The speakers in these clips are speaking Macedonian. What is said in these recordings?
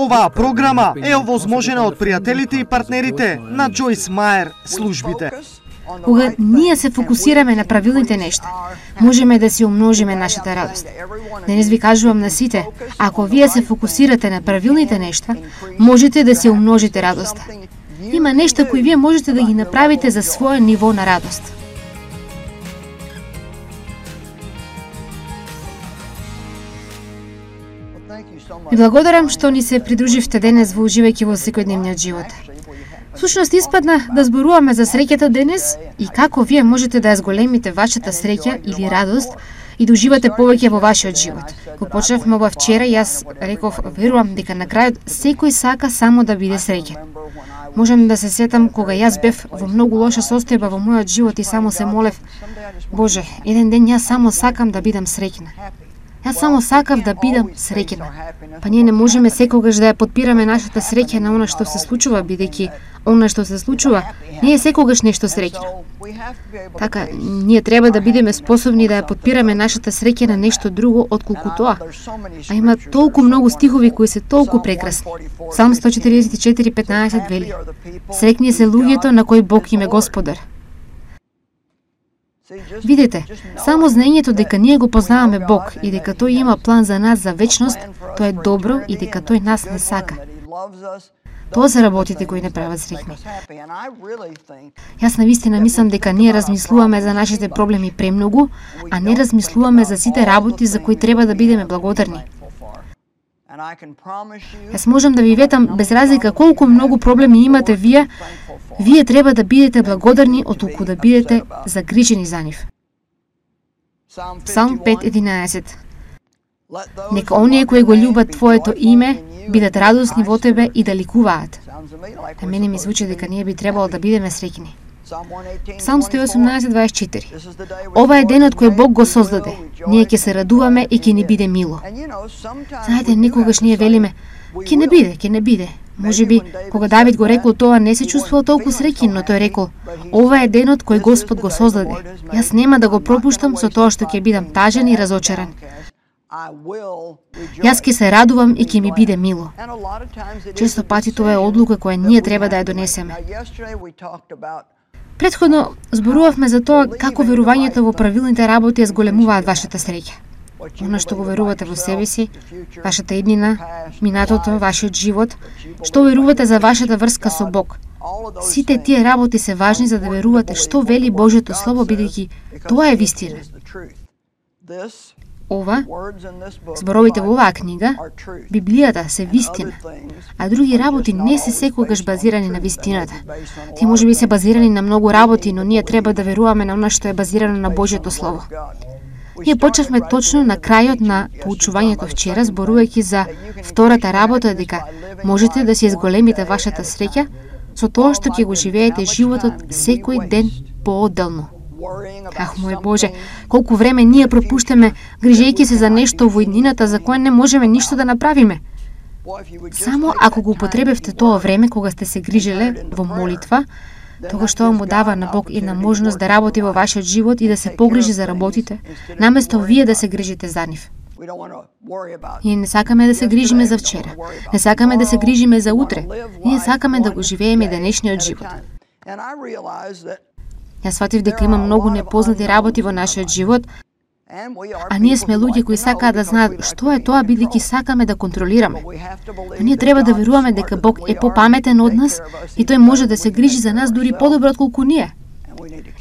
Оваа програма е овозможена од пријателите и партнерите на Джойс Мајер службите. Кога ние се фокусираме на правилните нешта, можеме да си умножиме нашата радост. Денес ви кажувам на сите, ако вие се фокусирате на правилните нешта, можете да си умножите радоста. Има нешта кои вие можете да ги направите за своје ниво на радост. Ви благодарам што ни се придруживте денес во уживајќи во секојдневниот живот. Всушност испадна да зборуваме за среќата денес и како вие можете да ја зголемите вашата среќа или радост и да уживате повеќе во вашиот живот. Кога почнавме ова вчера, јас реков, верувам дека на крајот секој сака само да биде среќен. Можам да се сетам кога јас бев во многу лоша состојба во мојот живот и само се молев, Боже, еден ден јас само сакам да бидам среќна. Јас само сакав да бидам среќна. Па ние не можеме секогаш да ја подпираме нашата среќа на она што се случува, бидејќи она што се случува не е секогаш нешто среќно. Така, ние треба да бидеме способни да ја подпираме нашата среќа на нешто друго отколку тоа. А има толку многу стихови кои се толку прекрасни. Псалм 144:15 вели: Среќни се луѓето на кои Бог им е Господар. Видете, само знаењето дека ние го познаваме Бог и дека Тој има план за нас за вечност, тоа е добро и дека Тој нас не сака. Тоа се работите кои не прават среќни. Јас навистина мислам дека ние размислуваме за нашите проблеми премногу, а не размислуваме за сите работи за кои треба да бидеме благодарни. Јас можам да ви ветам, без разлика колку многу проблеми имате вие треба да бидете благодарни оттолку да бидете загрижени за нив. Псалм 5:11. Нека оние кои го љубат Твоето име бидат радосни во Тебе и да ликуваат. На мене ми звучи дека ние би требало да бидеме среќни. Псалм 118:24. Ова е денот кој Бог го создаде. Ние ќе се радуваме и ќе ни биде мило. Знаете, некогаш ние велиме, ќе не биде. Може би, кога Давид го рекол тоа, не се чувствувал толку среќен, но тој рекол, ова е денот кој Господ го создаде. Јас нема да го пропуштам со тоа што ќе бидам тажен и разочаран. Јас ќе се радувам и ќе ми биде мило. Често пати тоа е одлука која ние треба да ја донесеме. Претходно зборувавме за тоа како верувањето во правилните работи ја зголемуваат вашата среќа. Она што го верувате во себе си, вашата иднина, минатото, вашиот живот, што верувате за вашата врска со Бог. Сите тие работи се важни за да верувате што вели Божјото Слово, бидејќи тоа е вистина. Зборовите во оваа книга, Библијата се вистина, а други работи не се секогаш базирани на вистината. Тие можеби се базирани на многу работи, но ние треба да веруваме на она што е базирано на Божјото Слово. Ние почнавме точно на крајот на поучувањето вчера, зборувајќи за втората работа, дека можете да си изголемите вашата среќа со тоа што ќе го живеете животот секој ден поодделно. Ах, мој Боже, колку време ние пропуштаме грижејќи се за нешто во иднината за кое не можеме ништо да направиме. Само ако го употребевте тоа време кога сте се грижеле во молитва, тогаш тоа му дава на Бог една можност да работи во вашиот живот и да се погрижи за работите, наместо вие да се грижите за нив. Ние не сакаме да се грижиме за вчера, не сакаме да се грижиме за утре, ние сакаме да го живееме денешниот живот. Јас сватив дека има многу непознати работи во нашиот живот, а ние сме луѓе кои сакаат да знаат што е тоа, бидејќи сакаме да контролираме. Но ние треба да веруваме дека Бог е попаметен од нас и Тој може да се грижи за нас дури подобро отколку ние.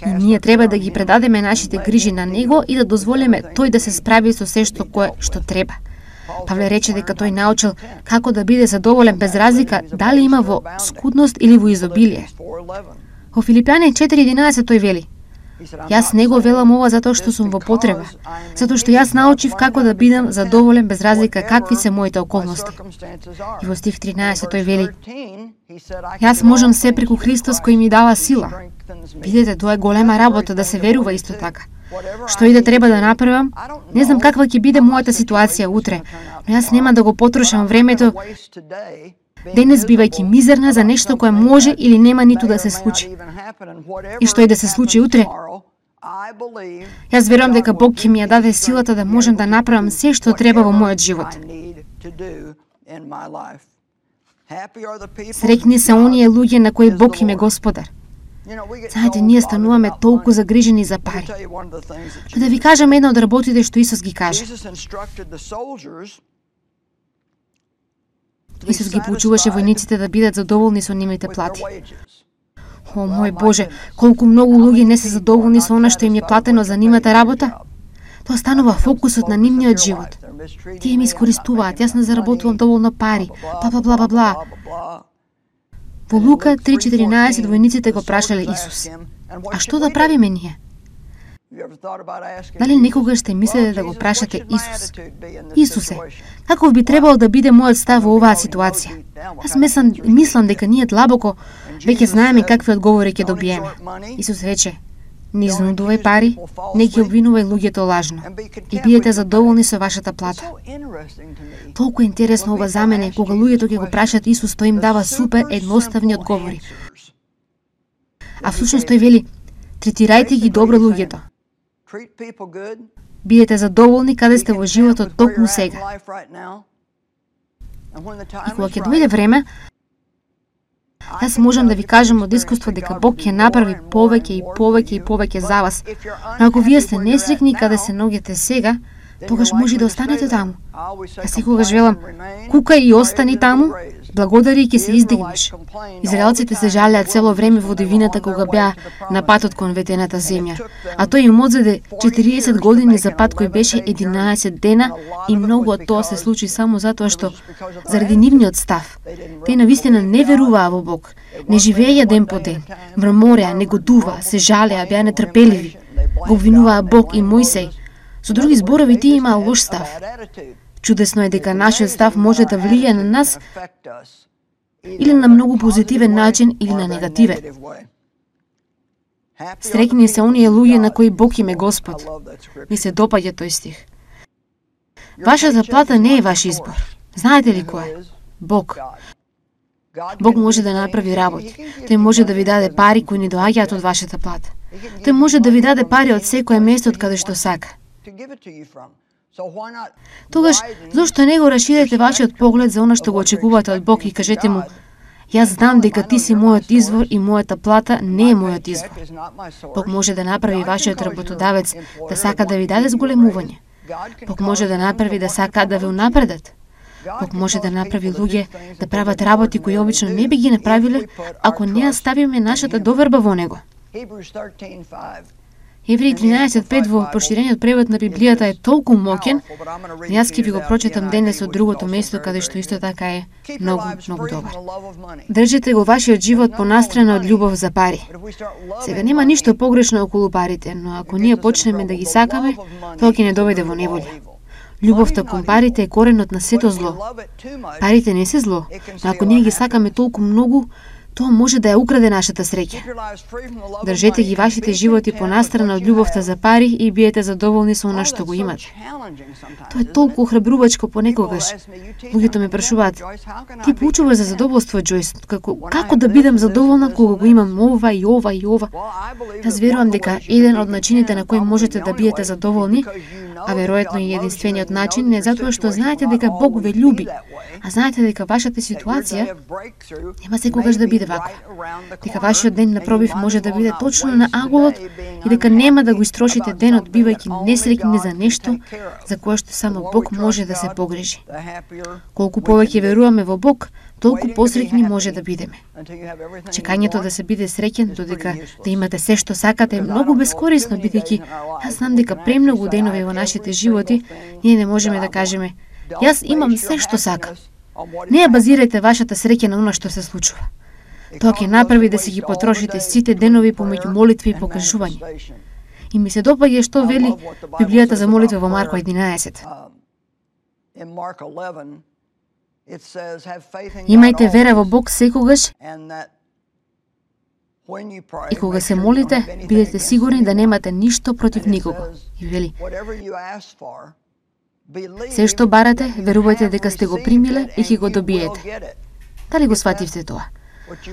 И ние треба да ги предадеме нашите грижи на Него и да дозволиме Тој да се справи со се што треба. Павле рече дека тој научил како да биде задоволен без разлика дали има во скудност или во изобилие. Во Филипјани 4:11 тој вели: Јас не го велам ова затоа што сум во потреба, затоа што јас научив како да бидам задоволен без разлика какви се моите околности. И во стих 13 тој вели: Јас можам се преку Христос кој ми дава сила. Видете, тоа е голема работа да се верува исто така. Што и да треба да направам, не знам каква ќе биде мојата ситуација утре, но јас нема да го потрошам времето денес бивајќи мизерна за нешто кое може или нема ниту да се случи. И што и да се случи утре, јас верувам дека Бог ќе ми ја даде силата да можам да направам се што треба во мојот живот. Среќни се оние луѓе на кои Бог им е Господар. Знаете, ние стануваме толку загрижени за пари. Но да ви кажам една од работите што Исус ги кажа. Исус ги поучуваше војниците да бидат задоволни со нивните плати. О, мој Боже, колку многу луѓе не се задоволни со она што им е платено за нивната работа. Тоа станува фокусот на нивниот живот. Тие ми искористуваат, јас не заработувам доволно пари, бла. Во Лука 3:14 војниците го прашале Исус: а што да правиме ние? Дали некогаш сте мислеле да го прашате Исус? Исусе, каков би требало да биде мојот став во оваа ситуација? Јас мислам дека ние длабоко веќе знаеме какви одговори ќе добиеме. Исус рече: не изнудувај пари, не ги обвинувај луѓето лажно и бидете задоволни со вашата плата. Толку интересно ова за мене, кога луѓето ќе го прашат Исус, тој им дава супер едноставни одговори. А всушност тој вели: третирајте ги добро луѓето. Бидете задоволни каде сте во животот токму сега. И кога ќе дојде време, јас можам да ви кажам од искуство дека Бог ќе направи повеќе за вас. Но ако вие сте несреќни каде се наоѓате сега, тогаш може да останете таму. Јас секогаш велам: кукај и остани таму, благодари и ќе се издигнеш. Израелците се жалеат цело време во дивината кога беа на патот кон ветената земја, а тој им одзеде 40 години за пат кој беше 11 дена и многу од тоа се случи само затоа што заради нивниот став. Тие навистина не веруваа во Бог, не живееја ден по ден, мрамореа, негодуваа, се жалеа, беа нетрпеливи, го обвинуваа Бог и Мојсей. Со други зборови, тие имаа лош став. Чудесно е дека нашиот став може да влијае на нас или на многу позитивен начин или на негативен. Среќни се оние луѓе на кои Бог им е Господ. Ми се допаѓа тој стих. Вашата плата не е ваш избор. Знаете ли кој е? Бог. Бог може да направи работи. Тој може да ви даде пари кои не доаѓаат од вашата плата. Тој може да ви даде пари од секое место од каде што сака. Тогаш, зошто не го расширете вашиот поглед за она што го очекувате од Бог и кажете му: јас знам дека ти си мојот извор и мојата плата не е мојот извор. Бог може да направи вашиот работодавец да сака да ви даде зголемување. Бог може да направи да сака да ве унапредат. Бог може да направи луѓе да прават работи кои обично не би ги направиле ако не ја ставиме нашата доверба во него. Евреи 13:5 во проширениот превод на Библијата е толку моќен, јас ќе ви го прочитам денес од другото место каде што исто така е многу добар. Држите го вашиот живот понастрана од љубов за пари. Сега нема ништо погрешно околу парите, но ако ние почнеме да ги сакаме, тоа ќе не доведе во неволја. Љубовта кон парите е коренот на сето зло. Парите не се зло, но ако ние ги сакаме толку многу, тоа може да ја украде нашата среќа. Држете ги вашите животи понастрана од љубовта за пари и биете задоволни со она што го имате. Тоа е толку охрабрувачко понекогаш. Луѓето ме прашуваат: ти поучуваш за задоволство, Џојс, како да бидам задоволна кога го имам ова и ова и ова? Јас верувам дека еден од начините на кои можете да биете задоволни, а веројатно и единствениот начин, е затоа што знаете дека Бог ве љуби, а знаете дека вашата ситуација нема секогаш да биде вако. Дека вашиот ден на пробив може да биде точно на аголот и дека нема да го истрошите денот бивајќи несреќни за нешто за кое што само Бог може да се погрижи. Колку повеќе веруваме во Бог, толку посреќни може да бидеме. Чекањето да се биде среќен додека да имате се што сакате е многу бескорисно, бидејќи јас знам дека премногу денови во нашите животи ние не можеме да кажеме: јас имам се што сакам. Не ја базирајте вашата среќа на она што се случува. Тоа ќе направи да си ги потрошите сите денови помеѓу молитви и покажување. И ми се допаѓа што вели Библијата за молитва во Марко 11. Имајте вера во Бог секогаш и кога се молите, бидете сигурни да немате ништо против никого. И вели: се што барате, верувајте дека сте го примиле и ќе го добиете. Дали го свативте тоа?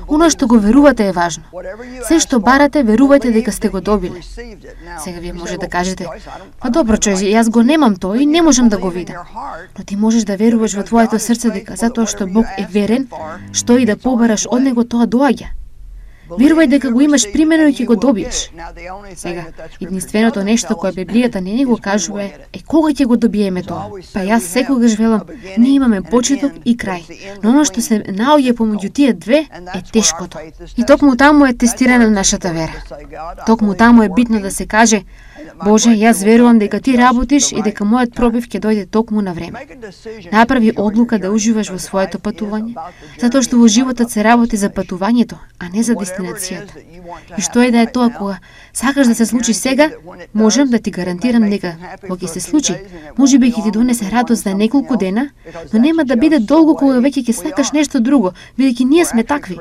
Оно што го верувате е важно. Се што барате, верувајте дека сте го добиле. Сега вие може да кажете: па добро, Џојси, јас го немам тој и не можам да го видам. Но ти можеш да веруваш во твоето срце дека затоа што Бог е верен, што и да побараш од него, тоа доаѓа. Верувај дека го имаш примено и ќе го добиеш. Сега, единственото нешто кое Библијата не ни го кажува е кога ќе го добиеме тоа. Па јас секогаш велам, ние имаме почеток и крај. Но оно што се наоѓа помеѓу тие две е тешкото. И токму таму е тестирана нашата вера. Токму таму е битно да се каже: Боже, јас верувам дека ти работиш и дека мојот пробив ќе дојде токму на време. Направи одлука да уживаш во своето патување, затоа што во животот се работи за патувањето, а не за дестинацијата. И што е да е тоа кога сакаш да се случи сега, можам да ти гарантирам дека кога ќе се случи, можеби ќе ти донесе радост за неколку дена, но нема да биде долго кога веќе ќе сакаш нешто друго, бидејќи ние сме такви.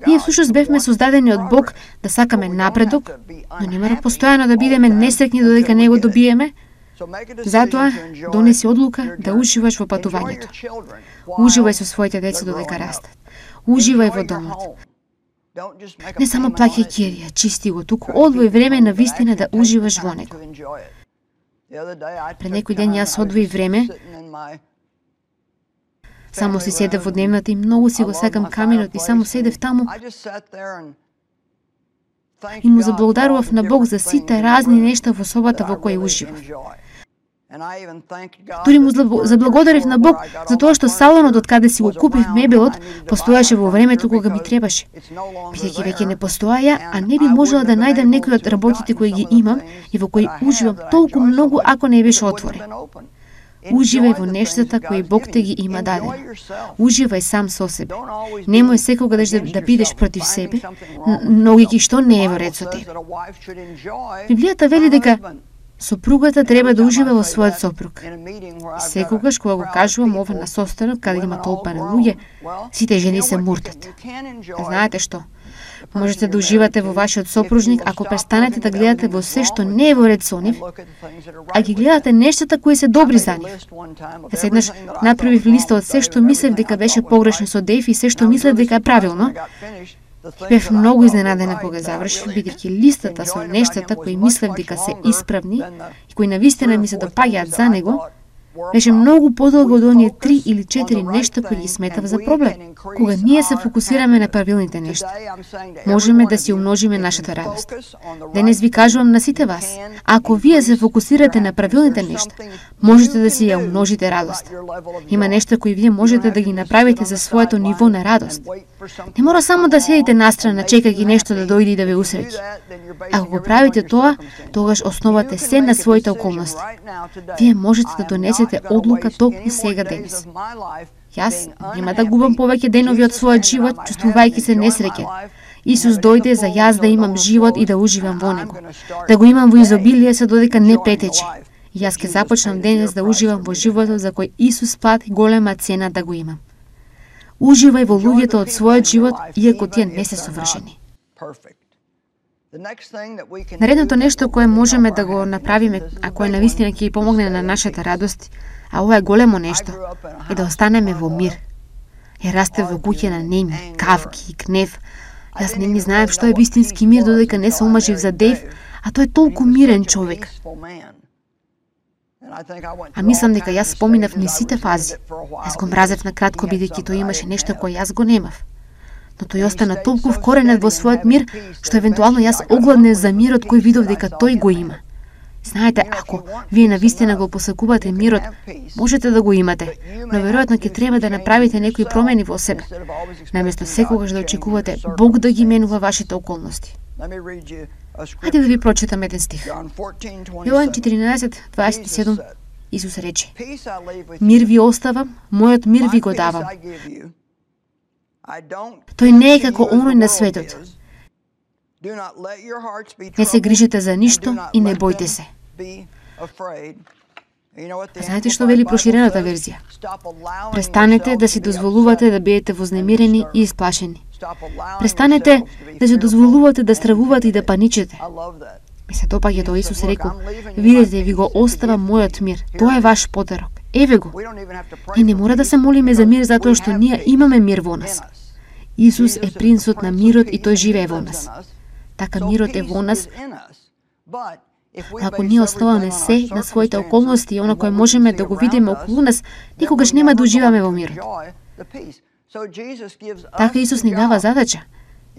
Ние всушност бевме создадени од Бог да сакаме напредок, но не мора постојано да бидеме несреќни додека не го добиеме. Затоа донеси одлука да уживаш во патувањето. Уживај со своите деца додека растат. Уживај во домот. Не само плаќај кирија, чисти го, туку одвој време на вистина да уживаш во него. Пред некој ден јас одвои време, само си седев во дневната и многу си го сакам каминот и само седев таму и му заблагодарував на Бог за сите разни нешта во собата во кои уживав. Дури му заблагодарив на Бог за тоа што салонот од каде си го купив мебелот постоеше во времето кога ми требаше. Бидејќи веќе не постоја, а не би можела да најдам некои од работите кои ги имам и во кои уживам толку многу ако не беше отворен. Уживај во нештата кои Бог те ги има дадено. Уживај сам со себе. Немој секогаш да бидеш против себе, но ги што не е во ред со тебе. Библијата вели дека сопругата треба да ужива во својот сопруг. И секогаш кога го кажувам ова на состанок каде има толпа на луѓе, сите жени се муртат. Знаете што? Можете да уживате во вашиот сопружник ако престанете да гледате во се што не е во ред со нив, а ги гледате нештата кои се добри за нив. Еднаш направив листа од се што мислев дека беше погрешно со Дејв и се што мислев дека е правилно. Бев многу изненадена кога завршив, бидејќи листата со нештата кои мислев дека се исправни и кои навистина ми се допаѓаат за него, беше многу подолго од оние 3 или 4 нешта кои ги сметав за проблем. Кога ние се фокусираме на правилните нешта, можеме да си умножиме нашата радост. Денес ви кажувам на сите вас, ако вие се фокусирате на правилните нешта, можете да си ја умножите радост. Има нешта кои вие можете да ги направите за своето ниво на радост. Не мора само да седите настрана чекајќи нешто да дојде и да ве усреќи. Ако го правите тоа, тогаш основате се на своите околности. Вие можете да донесете одлука токму сега денес. Јас нема да губам повеќе денови од својот живот, чувствувајќи се несреќен. Исус дојде за јас да имам живот и да уживам во него. Да го имам во изобилие се додека не претече. И јас ќе започнам денес да уживам во животот за кој Исус плати голема цена да го имам. Уживај во луѓето од својот живот, иако тие не се совршени. Наредното нешто кое можеме да го направиме, а кое навистина ќе ја помогне на нашата радост, а ова е големо нешто, е да останеме во мир. Ја растев во куќе на неми, кавки и гнев. Јас не ни знаев што е вистински мир додека не се омажив за Дејв, а тој е толку мирен човек. А мислам дека јас споминав низ сите фази. Јас го мразев на кратко бидејќи тој имаше нешто кое јас го немав. Но тој остана толку вкоренет во својот мир, што евентуално јас огладнев за мирот кој видов дека тој го има. Знаете, ако вие навистина го посакувате мирот, можете да го имате, но веројатно ќе треба да направите некои промени во себе, наместо секогаш да очекувате Бог да ги менува вашите околности. Хајде да ви прочитам еден стих. Јован 14:27 Исус рече: Мир ви оставам, мојот мир ви го давам. Тој не е како оној на светот. Не се грижите за ништо и не бојте се. Знаете што вели проширената верзија? Престанете да си дозволувате да бидете вознемирени и исплашени. Престанете да си дозволувате да стравувате и да паничите. Ми се допаѓа тоа Исус рекол: видете, ви го оставам мојот мир. Тоа е ваш потерок. Еве го. И не мора да се молиме за мир затоа што ние имаме мир во нас. Исус е принцот на мирот и тој живее во нас. Така мирот е во нас. Ако ние оставаме се на своите околности и оно кое можеме да го видиме околу нас, никогаш нема да уживаме во мирот. Така Исус ни дава задача.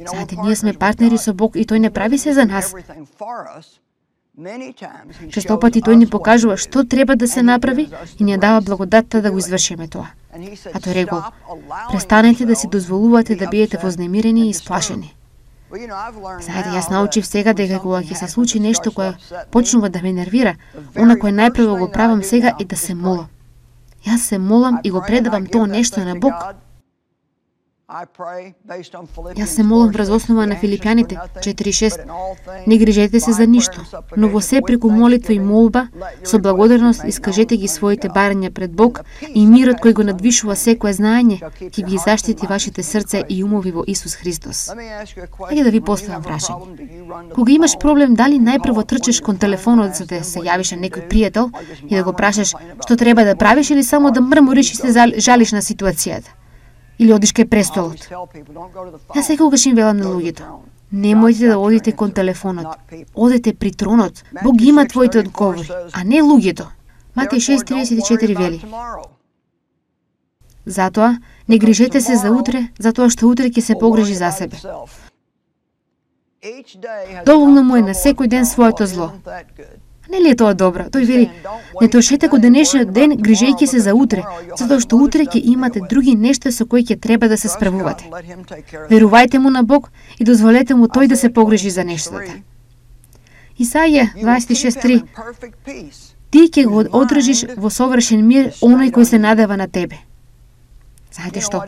Знаете, ние сме партнери со Бог и тој не прави се за нас. Често пати тој ни покажува што треба да се направи и ни дава благодатта да го извршиме тоа. А тој рекол: престанете да си дозволувате да бидете вознемирени и сплашени. Знаете, јас научив сега дека кога ќе се случи нешто кое почнува да ме нервира, она кое најпрво го правам сега е да се молам. Јас се молам и го предавам тоа нешто на Бог. Јас се молам врз основа на Филипјаните 4:6. Не грижете се за ништо, но во се преку молитва и молба, со благодарност искажете ги своите барања пред Бог и мирот кој го надвишува секое знаење, ќе ги заштити вашите срце и умови во Исус Христос. Хајде да ви поставам прашање. Кога имаш проблем, дали најпрво трчаш кон телефонот за да се јавиш на некој пријател и да го прашаш што треба да правиш или само да мрмориш и се жалиш на ситуацијата? Или одиш кај престолот? Јас секогаш им велам на луѓето: немојте да одите кон телефонот. Одете при тронот. Бог ги има твоите одговори, а не луѓето. Матеј 6:34 вели: затоа не грижете се за утре, затоа што утре ќе се погрижи за себе. Доволно му е на секој ден своето зло. Не ли е тоа добро? Тој вели: не трошете го денешниот ден грижејќи се за утре, затоа што утре ќе имате други нешта со кои ќе треба да се справувате. Верувајте му на Бог и дозволете му тој да се погрижи за нештата. Исаија 26:3. Ти ќе го одржиш во совршен мир оној кој се надева на тебе. Знаете што?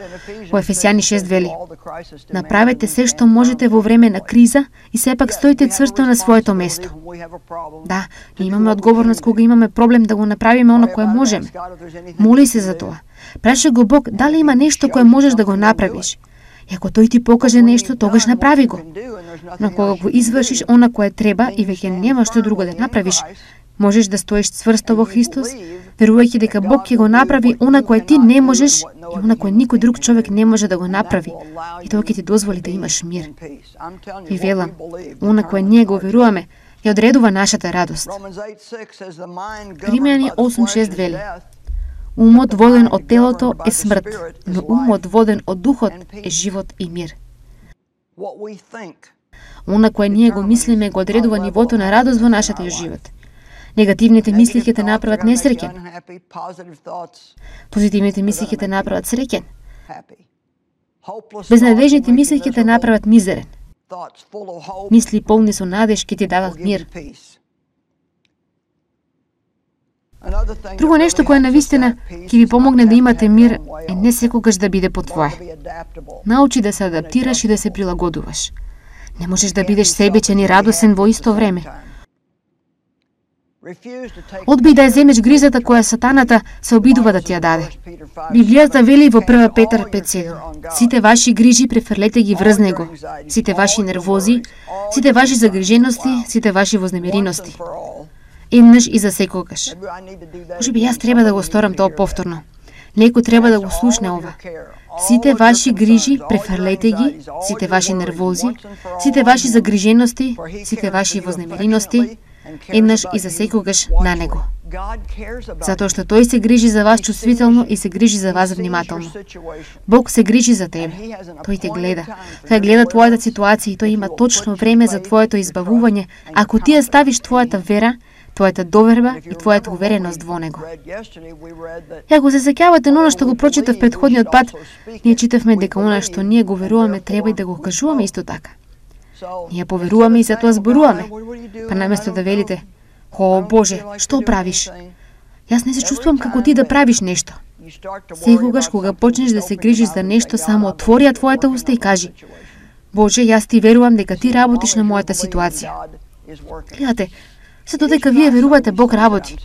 Во Ефесјани 6 вели: направете се што можете во време на криза и сепак стоите цврсто на своето место. Да, ние имаме одговорност кога имаме проблем да го направиме оно кое можеме. Моли се за тоа. Праша го Бог дали има нешто кое можеш да го направиш. И ако тој ти покаже нешто, тогаш направи го. Но кога го извршиш она кое треба и веќе нема што друго да направиш, можеш да стоиш цврсто во Христос, верувајќи дека Бог ќе го направи она кое ти не можеш и она кое никој друг човек не може да го направи. И тоа ќе ти дозволи да имаш мир. И велам, она кое ние го веруваме, ја одредува нашата радост. Римјани 8:6 вели: умот воден од телото е смрт, но умот воден од духот е живот и мир. Она кое ние го мислиме го одредува нивото на радост во нашата живот. Негативните мисли ќе те направат несреќен. Позитивните мисли ќе те направат среќен. Безнадежните мисли ќе те направат мизерен. Мисли полни со надеж ќе ти дадат мир. Друго нешто кое навистина ќе ви помогне да имате мир е не секогаш да биде по твое. Научи да се адаптираш и да се прилагодуваш. Не можеш да бидеш себечен и радосен во исто време. Одбий да ја земеш грижата која сатаната се обидува да ти ја даде. Библијата вели во 1 Петар 5:7: сите ваши грижи префрлете ги врз него, сите ваши нервози, сите ваши загрижености, сите ваши вознемирености. Еднаш и за секогаш. Можеби јас треба да го сторам тоа повторно. Некој треба да го слушне ова. Сите ваши грижи префрлете ги, сите ваши нервози, сите ваши загрижености, сите ваши вознемирености, еднаш и за секогаш на него. Затоа што тој се грижи за вас чувствително и се грижи за вас внимателно. Бог се грижи за тебе. Тој те гледа. Тој гледа твојата ситуација и тој има точно време за твоето избавување, ако ти ја ставиш твојата вера, твојата доверба и твојата увереност во него. И ако се сеќавате на оно што го прочитав претходниот пат, ние читавме дека она што ние го веруваме треба и да го кажуваме исто така. Ние поверуваме и затоа зборуваме. Па наместо да велите: "О Боже, што правиш?" Јас не се чувствувам како ти да правиш нешто. Секогаш кога почнеш да се грижиш за нешто, само отвори твојата уста и кажи: "Боже, јас ти верувам дека ти работиш на мојата ситуација." Гледате, се додека вие верувате, Бог работи.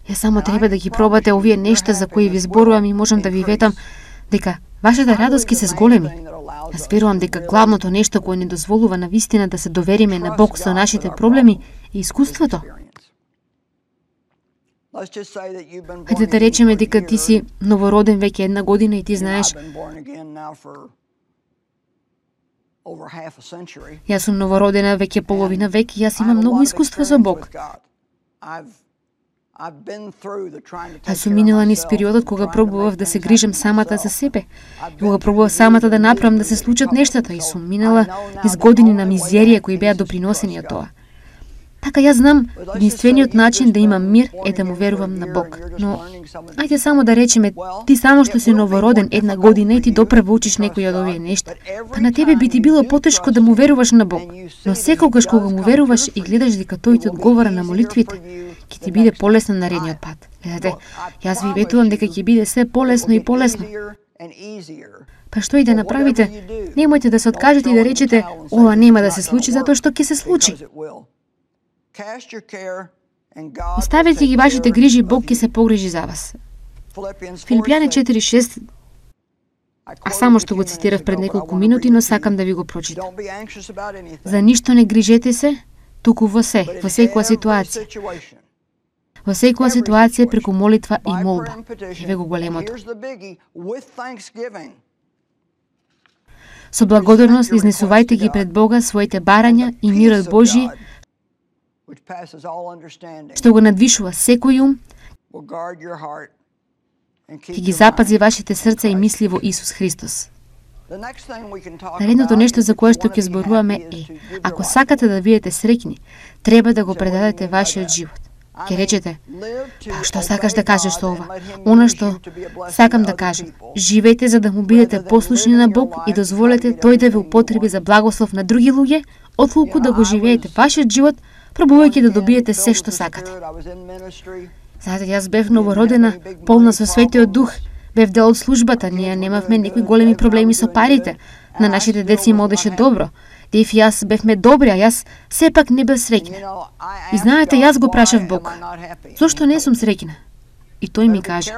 Ја само треба да ги пробате овие нешта за кои ви зборувам и можам да ви ветам дека вашата радост ќе се зголеми. Јас верувам дека главното нешто кое ни дозволува на вистина да се довериме на Бог со нашите проблеми е искуството. Хајде да речеме дека ти си новороден веќе 1 година и ти знаеш: Јас сум новородена веќе половина век и јас имам многу искуство со Бог. Јас сум минала низ периодот кога пробував да се грижам самата за себе, и кога пробував самата да направам да се случат нештата, и сум минала низ години на мизерија кои беа доприносени од тоа. Така јас знам, единствениот начин да имам мир е да му верувам на Бог. Но, ајде само да речеме, ти само што си новороден една година и ти допрво учиш некои од овие нешта, па на тебе би ти било потешко да му веруваш на Бог. Но секогаш кога му веруваш и гледаш дека тој ти одговара на молитвите, ќе ти биде полесно наредниот пат. Гледате, јас ви ветувам дека ќе биде се полесно и полесно. Па што и да направите, немојте да се откажете и да речете, ова нема да се случи затоа што ќе се случи. Оставете ги вашите грижи, Бог ќе се погрижи за вас. Филипјани 4:6, а само што го цитирав пред неколку минути, но сакам да ви го прочитам. За ништо не грижете се, туку во секоја ситуација. Во секоја ситуација преку молитва и молба. Еве го големото. Со благодарност изнесувајте ги пред Бога своите барања и мирот Божји, што го надвишува секој ум, ќе ги запази вашите срца и мисли во Исус Христос. Наредното нешто за кое што ќе зборуваме е, ако сакате да бидете среќни, треба да го предадете вашиот живот. Ќе речете, па што сакаш да кажеш со ова? Она што сакам да кажам, живејте за да му бидете послушни на Бог и дозволете тој да ве употреби за благослов на други луѓе, отколку да го живеете вашиот живот, пробувајќи да добиете се што сакате. Знаете, јас бев новородена, полна со Светиот Дух, бев дел од службата, ние немавме некои големи проблеми со парите, на нашите деца им одеше добро. Дев и јас бевме добри, а јас сепак не бев среќна. И знаете, јас го прашав Бог, зошто не сум среќна? И тој ми каже,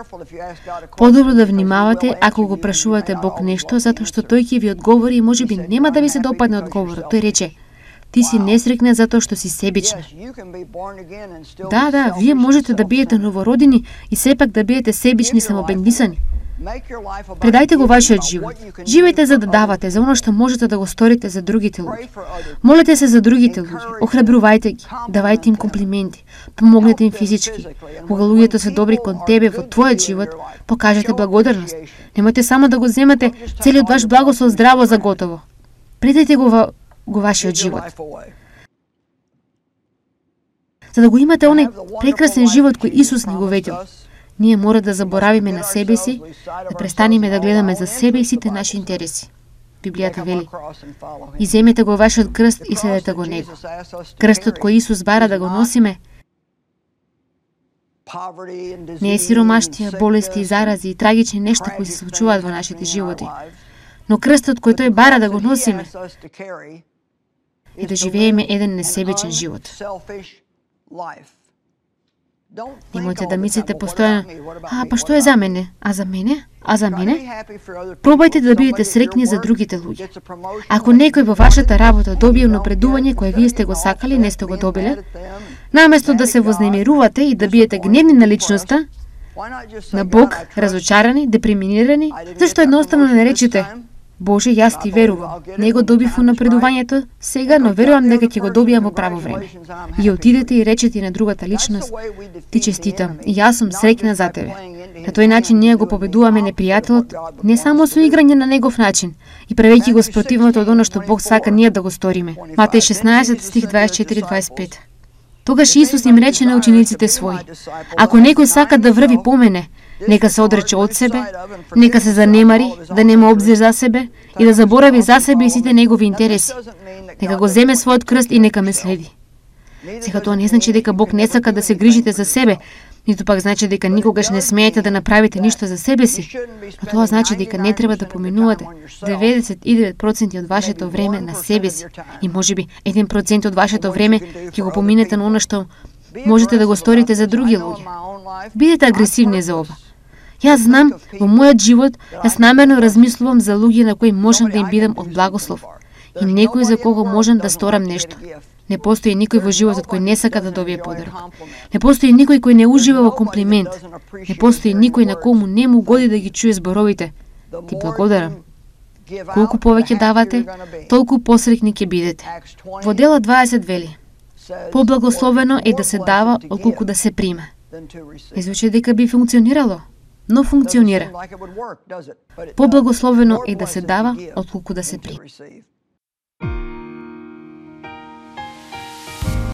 подобро да внимавате ако го прашувате Бог нешто, затоа што тој ќе ви одговори и можеби нема да ви се допадне одговорот. Тој рече, ти си несреќна затоа што си себична. Да, вие можете да бидете новородени и сепак да бидете себични и самобендисани. Предајте го вашиот живот. Живејте за да давате, за оно што можете да го сторите за другите луѓе. Молете се за другите луѓе, охрабрувајте ги, давајте им комплименти, помогнете им физички. Кога луѓето се добри кон тебе во твојот живот, покажете благодарност. Немојте само да го земате целиот ваш благослов здраво за готово. Предајте го вашиот живот. За да го имате оној прекрасен живот кој Исус ни го ветил, ние мора да заборавиме на себе си, да престанеме да гледаме за себе и сите наши интереси. Библијата вели, и земете го вашиот крст и следете го него. Крстот кој Исус бара да го носиме не е сиромаштија, болести и зарази и трагични нешта кои се случуваат во нашите животи. Но крстот кој тој бара да го носиме е да живееме еден несебичен живот. Немојте да мислите постојано, па што е за мене? А за мене? А за мене? Пробајте да бидете среќни за другите луѓе. Ако некој во вашата работа добие напредување кое вие сте го сакали, не сте го добиле, наместо да се вознемирувате и да биете гневни на личноста, на Бог, разочарани, депримирани, зашто едноставно не речете, Боже, јас ти верувам. Не го добив напредувањето сега, но верувам дека ќе го добијам во право време. И отидете и речете на другата личност, ти честитам, и јас сум среќна за тебе. На тој начин ние го победуваме непријателот, не само со играње на негов начин, и правејќи го спротивното од оно што Бог сака ние да го сториме. Матеј 16, стих 24-25. Тогаш Исус им рече на учениците своји, ако некој сака да врви по мене, нека се одрече од себе, нека се занемари, да нема обзир за себе и да заборави за себе и сите негови интереси. Нека го земе својот крст и нека ме следи. Сега тоа не значи дека Бог не сака да се грижите за себе, ниту пак значи дека никогаш не смеете да направите ништо за себе си, но тоа значи дека не треба да поминувате 99% од вашето време на себе си и можеби 1% од вашето време ќе го поминете на оно што можете да го сторите за други луѓе. Бидете агресивни за ова. Јас знам, во мојот живот, јас намерно размислувам за луѓе на кои можам да им бидам од благослов и некој за кого можам да сторам нешто. Не постои никој во животот кој не сака да добие подарок. Не постои никој кој не ужива во комплимент. Не постои никој на кому не му годи да ги чуе зборовите. Ти благодарам. Колку повеќе давате, толку посреќни ќе бидете. Во дела 20 вели: поблагословено е да се дава отколку да се прима. Не звучи дека би функционирало, но функционира. Поблагословено е да се дава отколку да се прима.